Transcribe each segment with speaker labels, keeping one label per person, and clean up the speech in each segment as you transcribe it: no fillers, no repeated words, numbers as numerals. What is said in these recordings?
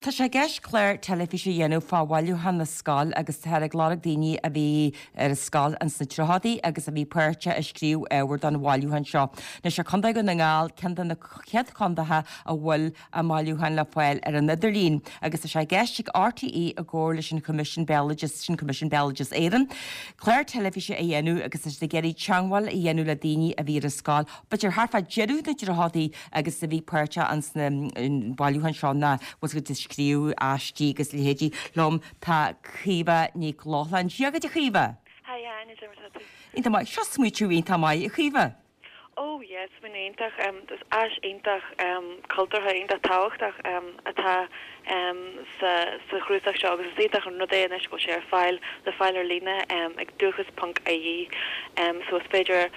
Speaker 1: Tá sé i gceist clár teilifíse a dhéanamh fá bhailiúchán na scol agus táthar ag lorg daoine a bhí ar an scoil ins na tríochadaí agus a bhí páirteach ag scríobh ábhar don bhailiúchán seo. Anois tá Contae Dhún na nGall ceann de na chéad chontaetha a bhfuil a mbailiúchán le fáil ar an idirlíon agus tá sé i gceist ag RTÉ i gcomhar leis an Choimisiún Béaloideas, sin Coimisiún Béaloideas Éireann, clár teilifíse a dhéanamh agus tá siad ag iarraidh teangmháil a dhéanamh le daoine a bhí ar an scoil b'fhéidir thart fá deireadh na dtríochadaí agus a bhí páirteach ins na bailiúcháin seo nó bhfuil siad ag scríobh aistí agus leithéidí. Liom tá Caoimhe Nic Lochlainn. Dia dhuit a Chaoimhe!
Speaker 2: Hi Áine, cad é mar atá tú?
Speaker 1: Iontach maith. Seo smaoitiú iontach maith a Chaoimhe.
Speaker 2: Oh yeah, smaoineamh iontach. Is áis iontach cultúrtha, iontach tábhachtach atá sa sa chnuasach seo agus is iontach an rud é anois go bhfuil sé ar fáil, le fáil ar líne ag dúchas ponc ie. So is féidir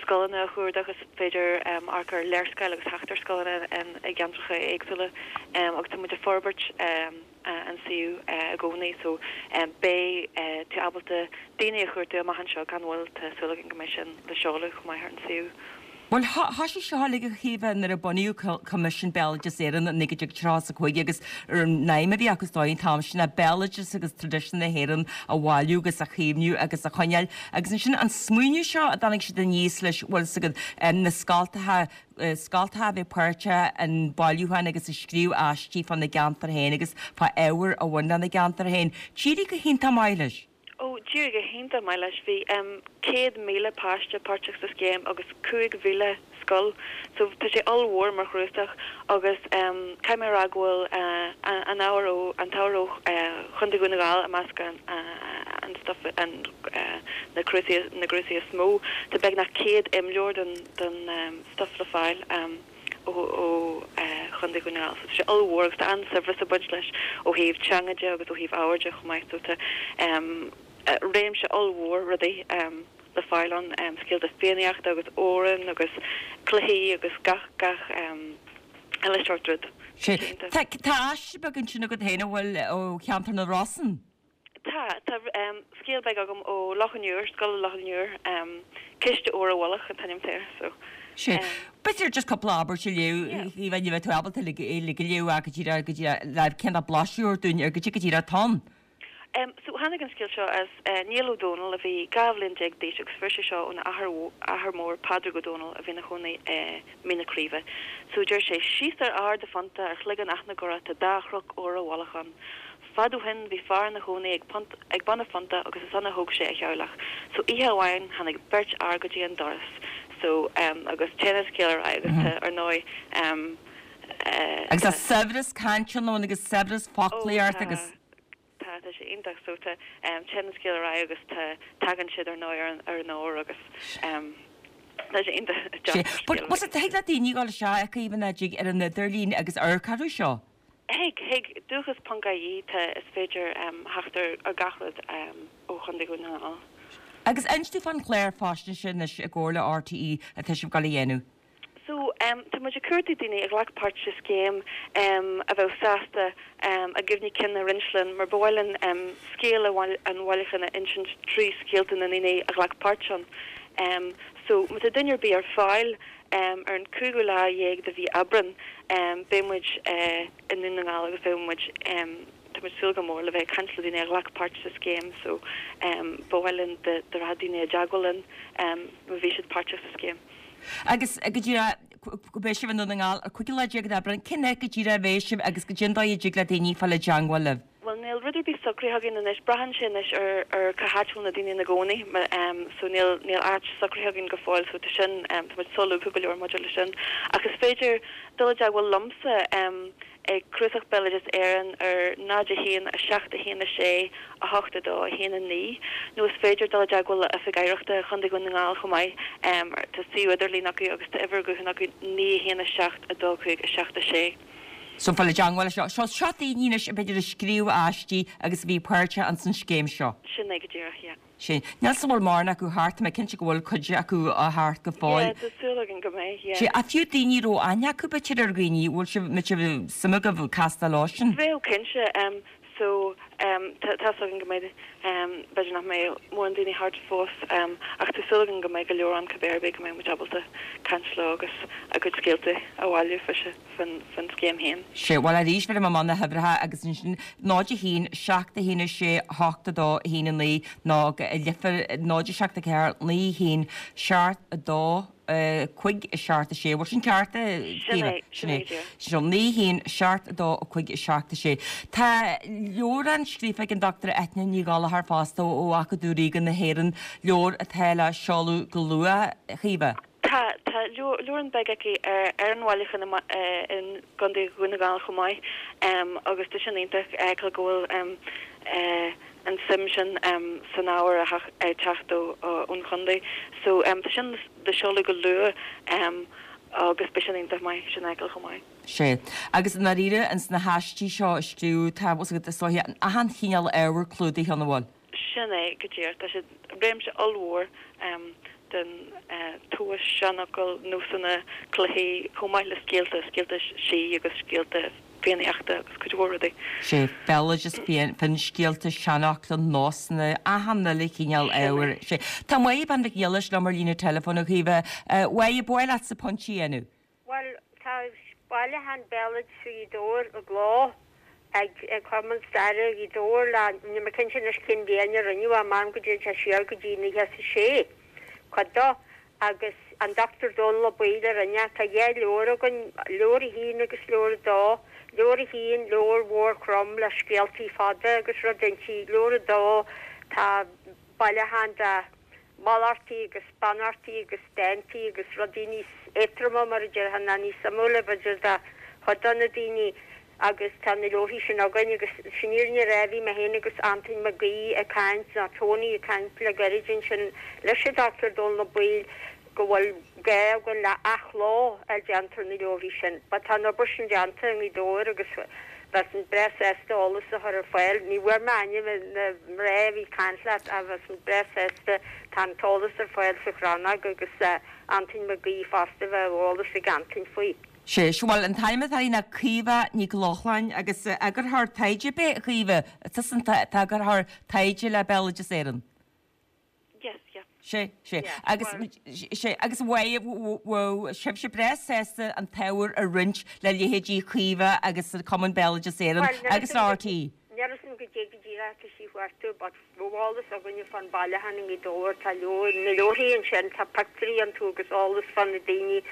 Speaker 2: scoileanna a chuardach, is féidir amharc ar léarscáil agus theacht ar scoileanna i gceantracha éagsúla agus tá muid ag forbairt an suíomh i gcónaí so beidh tú ábalta daoine a chuartú amach anseo gan mhoill, tá súil againn go mbeidh sin le seoladh chomh maith ar an suíomh.
Speaker 1: Bhuel, thoisigh seo uilig a Chaoimhe nuair a bunaíodh Coimisiún Béaloideas Éireann i 1935 agus an aidhm a bhí acu is dóigh an t-am sin ná béaloideas agus traidisiún na hÉireann a bhailiú agus a chaomhnú agus a choinneáil. Agus ansin an smaoineamh seo a dtáinig siad aníos leis, bhfuil 'fhios agat, na scoltacha, scoltacha a bheith páirteach in bailiúchán agus ag scríobh aistí fá na gceantar féin agus fá ábhair a bhain lena gceantar féin. D'éirigh go hiontach maith leis.
Speaker 2: Ó, d'éirigh go hiontach maith leis. Bhí 100,000 páiste páirteach sa scéim agus 5,000 scoil. So tá sé ollmhór mar chnuasach agus caithfidh mé a rá go bhfuil an ábhar ó, an t-ábhar ó Chontae Dhún na nGall i measc an stuff, an, na cnuasaigh, na gcnuasaigh is mó. Tá beagnach 100 imleabhar den, den stuff le fáil. ó Chontae Dhún na nGall. So tá sé ollmhór agus tá an-saibhreas ag baint leis ó thaobh teanga de agus ó thaobh ábhair de chomh maith. So tá réimse ollmhór rudaí le fáil ann, scéalta Fiannaíochta agus amhráin agus cluichí agus gach gach uile seort rud.
Speaker 1: Sea. Tá aiste beag ansin agat féin, an bhfuil, ó cheantar na Rosann?
Speaker 2: Tá, tá scéal beag agam ó Loch an Iúir, Scoil Loch an Iúir, Ciste Óir i bhFolach an t-ainm atá air, so.
Speaker 1: Sea. B'fhéidir just cúpla abairt a léamh, ní bheidh tú ábalta uilig a léamh ach go díreach, go díreach, le cineál blaiseadh a thabhairt dúinn ar goidé go díreach atá ann.
Speaker 2: So tháinig an scéal seo as Niall Ó Dónaill a bhí 12 bhliain d'aois agus fuair sé seo óna athair, athair mór Pádraig Ó Dónaill a bhí ina chónaí i Mín na Craoibhe. So deir sé, Síos ar Ard a' Phonta ar shliogán Achnagora tá dá chnoc óir i bhfolach ann. Fad ó shin bhí fear ina chónaí ag pont ag bun a phonta agus is ann a thóg sé a theaghlach. So oíche amháin tháinig beirt fhear go dtí an doras so em agus téann an scéal ar aghaidh agus tá ar ndóigh em eh
Speaker 1: Agus tá saibhreas cainte ann agus saibhreas
Speaker 2: ó
Speaker 1: foclaíocht
Speaker 2: tá
Speaker 1: agus.
Speaker 2: tá tá sé iontach so tá em téann an scéal ar aghaidh agus tá tagann siad ar ndóigh ar an ar an ór agus em tá sé iontach
Speaker 1: Sé
Speaker 2: deas
Speaker 1: but
Speaker 2: scéal
Speaker 1: was it thig le daoine dhul isteach a Chaoimhe ná dtig ar an idirlíon agus amharc orthu seo?
Speaker 2: Thig, thig. Dúchas ponc ie, tá, is féidir theacht ar gach rud ó Chontae Dhún na nGall.
Speaker 1: Agus inis dúinn fán chlár faisnéise anois i gcomhar le RTÉ atá sibh ag dul a dhéanamh.
Speaker 2: So, tá muid ag cuartú daoine a ghlac páirt sa scéim a bheadh sásta a gcuimhní cinn a roinnt linn mar ba mhaith linn scéal an bhailiúcháin a insint trí scéalta na ndaoine a ghlac páirt ann. So, má tá duine ar bith ar fáil, Ar an cúigiú lá dhéag de mhí Aibreán beidh muid i nDún na nGall agus beidh muid, tá muid ag súil go mór le bheith ag caint le daoine a ghlac páirt sa scéim so ba mhaith linn dá rachadh daoine i dteagmháil linn má bhí siad páirteach sa scéim.
Speaker 1: Agus go díreach, beidh sibh i nDún na nGall ar cúigiú lá déag d'Aibreán, cén áit go díreach a bheidh sibh agus goidé an dóigh a dtig le daoine fáil i dteagmháil libh?
Speaker 2: Bhuel, níl rud ar bith socraithe againn anois. Braitheann sé anois ar ar cá háit a bhfuil na daoine ina gcónaí. So níl níl áit socraithe againn go fóill so tá sin tá muid solúbtha go leor maidir leis sin. Ach is féidir dul i dteagmháil liomsa ag Cnuasach Béaloideas Éireann ar 0 1 7 1 6 8 2 1 9 nó is féidir dul i dteagmháil le Oifig Oidhreachta Chontae Dhún na nGall chomh maith. Tá suíomh idirlín acu agus tá uimhir ghutháin acu 9 1 7 2 5 7 6.
Speaker 1: So fáil i dteagmháil leis seo. So seo daoine anois b'fhéidir a scríobh aistí agus a bhí páirteach ins an scéim seo.
Speaker 2: Sin é go díreach, yeah.
Speaker 1: Sin. Níl 's an bhfuil mórán acu thart, tá mé cinnte go bhfuil cuid acu thart go fóill.
Speaker 2: Yeah, tá súil againn go mbeidh, yeah.
Speaker 1: Sea, ach fiú daoine a raibh aithne acu b'fhéidir ar dhaoine, bhfuil sibh, mbeadh suim agaibh castáil leo sin?
Speaker 2: Bheadh, cinnte. So tá tá's againn go mbeidh, b'fhéidir nach mbeidh mórán daoine thart fós ach tá súil againn go mbeidh go leor ann cibé ar bith, go mbeidh muid ábalta caint leo agus a gcuid scéalta a bhailiú faoin scéim féin.
Speaker 1: Sea, bhuel arís bhéarfaidh mé amach na huimhreacha agus ansin 0 1 7 1 6 8 2 1 9 nó go leifear 0 7 4 9 1 7 2 5 7 6. Bhfuil sin ceart, a
Speaker 2: Sin é, sin é, dear.
Speaker 1: Sin 9 1 7 2 5 7 6. Tá leabhrán scríofa ag an Dr Eithne Ní Ghallchóir fosta ó Acadamh Ríoga na hÉireann, leabhar atá le seoladh go luath, a Chaoimhe.
Speaker 2: Tá, tá leabhrán beag aici ar an bhailiúchán i gContae Dhún na nGall chomh maith agus tá sin iontach a fheiceáil go bhfuil an suim sin san ábhar ag teacht ón chontae. So tá sin le seoladh go luath agus beidh sin iontach maith sin a fheiceáil chomh maith.
Speaker 1: Sea. Agus i ndáiríre, ins na haistí seo a scríobhadh, tá, bhfuil 's agat, is dóiche, achan chineál ábhar clúdaithe ann, an bhfuil?
Speaker 2: Sin é go díreach. Tá sé réimse ollmhór den tomhas, seanfhocail, nósanna, cluichí, chomh maith le scéalta, scéalta sí agus scéalta Fiannaíochta agus cuid mhór rudaí.
Speaker 1: Sea, béaloideas, finscéalta, seanfhocla, nósanna, achan uile chineál ábhair. Sea. Tá Máire Bean Mhic Niallais liom ar líne teileafóin, a Chaoimhe. A Mháire, ba mhaith leatsa pointe a dhéanamh?
Speaker 3: Bhuel, tá bailiúchán béaloidis Ghaoth Dobhair i gcló ag Cumann Staire Ghaoth Dobhair le, níl mé cinnte anois cén bhliain a rinneadh é, measaim go dtéann sé siar go dtí 96, cuid dó. Agus an Dochtúir Dónal Ó Baoill a rinne é. Tá dhá leabhar againn, leabhar a haon agus leabhar a dó. Leabhar a haon, leabhar mhór throm le scéaltaí fada agus rud inti. Leabhar a dó, tá bailiúchán de mhallachtaí agus beannachtaí agus dántaí agus rudaí níos éadtroma, mar a déarfá, nó níos suimiúla, b'fhéidir, do chuid de na daoine. Agus tá na leabharthaí sin againn agus sin fhírinne a rá bhí mé féin agus Antain Mac Aoidh ag caint, nó Tony ag caint le gairid ansin leis an Dr Dónal Ó Baoill go bhfuil gá againn le athchló a fháil déanta ar na leabharthaí sin. But tá an obair sin déanta i nGaoth Dobhair agus bheinn breá sásta eolas a chur ar fáil. Ní bhfuair mé ainm na mná a bhí ag caint leat ach bheinn breá sásta, tá an t-eolas ar fáil sa Chrannóg agus Antain Mac Aoidh fosta, bheadh eolas ag Antain faoi.
Speaker 1: Sea, bhuel, an t-ainm atá uirthi ná Caoimhe Nic Lochlainn agus eagarthóir taighde ab é, a Chaoimhe? Tusa an t-eagarthóir taighde le Béaloideas Éireann?
Speaker 2: Yes, yeah.
Speaker 1: Sea, sea. Agus, sea, agus bheadh sibhse breá sásta an t-ábhar a roinnt le leithéidí Chaoimhe agus Cumann Béaloideas Éireann agus RTÉ.
Speaker 3: Níl a fhios agam goidé go díreach atá sí chuartú but bheadh eolas againne fán bailiúchán i nGaoth Dobhair, tá leabhar, na leabharthaí ansin, tá pictiúirí iontu agus eolas fá na daoine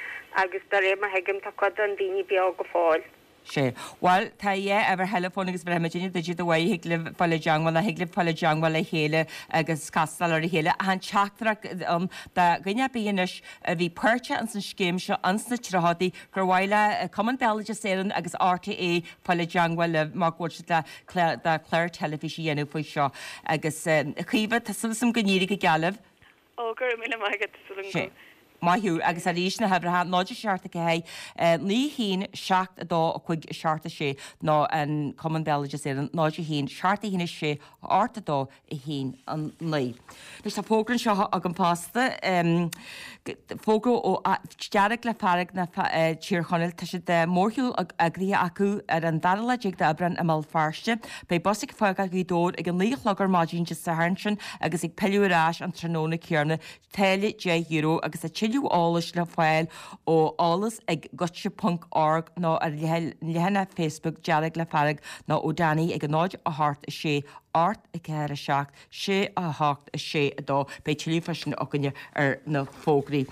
Speaker 3: agus de réir mar thuigim tá cuid de na daoine beo go fóill.
Speaker 1: Sea. Bhuel, tá a dhá uimhir theileafóin agus bhéarfaidh muidinne duit iad a Mháire, thig libh fáil i dteangmháil nó thig libh fáil i dteangmháil le chéile agus castáil ar a chéile. Ach an teachtaireacht ann do dhuine ar bith anois a bhí páirteach ins an scéim seo ins na tríochadaí gur mhaith le Cumann Béaloideas Éireann agus RTÉ fáil i dteangmháil libh mar go bhfuil siad le le clár teilifíse a dhéanamh faoi seo. Agus a Chaoimhe, tá súil agam go n-éireoidh go geal libh.
Speaker 2: Ó, go raibh míle maith agat, tá súil agam
Speaker 1: go. Maith thú. Agus arís na huimhreacha, 0 7 4 9 1 7 2 5 7 6 nó an Cumann Béaloideas Éireann 0 1 7 1 6 8 2 1 9. Anois tá fógra anseo agam fosta, fógra ó Dearg le Fearg na Tír Chonaill. Tá siad mórshiúl eagraithe acu ar an dara lá déag d'Aibreán i mBéal Feirste. Beidh bus ag fágáil Ghaoth Dobhair ag a 9 a chlog ar maidin Dé Sathairn sin agus ag pilleadh ar ais an tráthnóna céanna. Táille €10 agus tá tuilleadh eolais le fáil ó eolas ag goitse ponc org nó ar leathanach Facebook Dearg le Fearg nó ó Danny ag 0 8 6 8 4 7 6 8 6 2. Beidh tuilleadh fá sin againne ar na fógraí.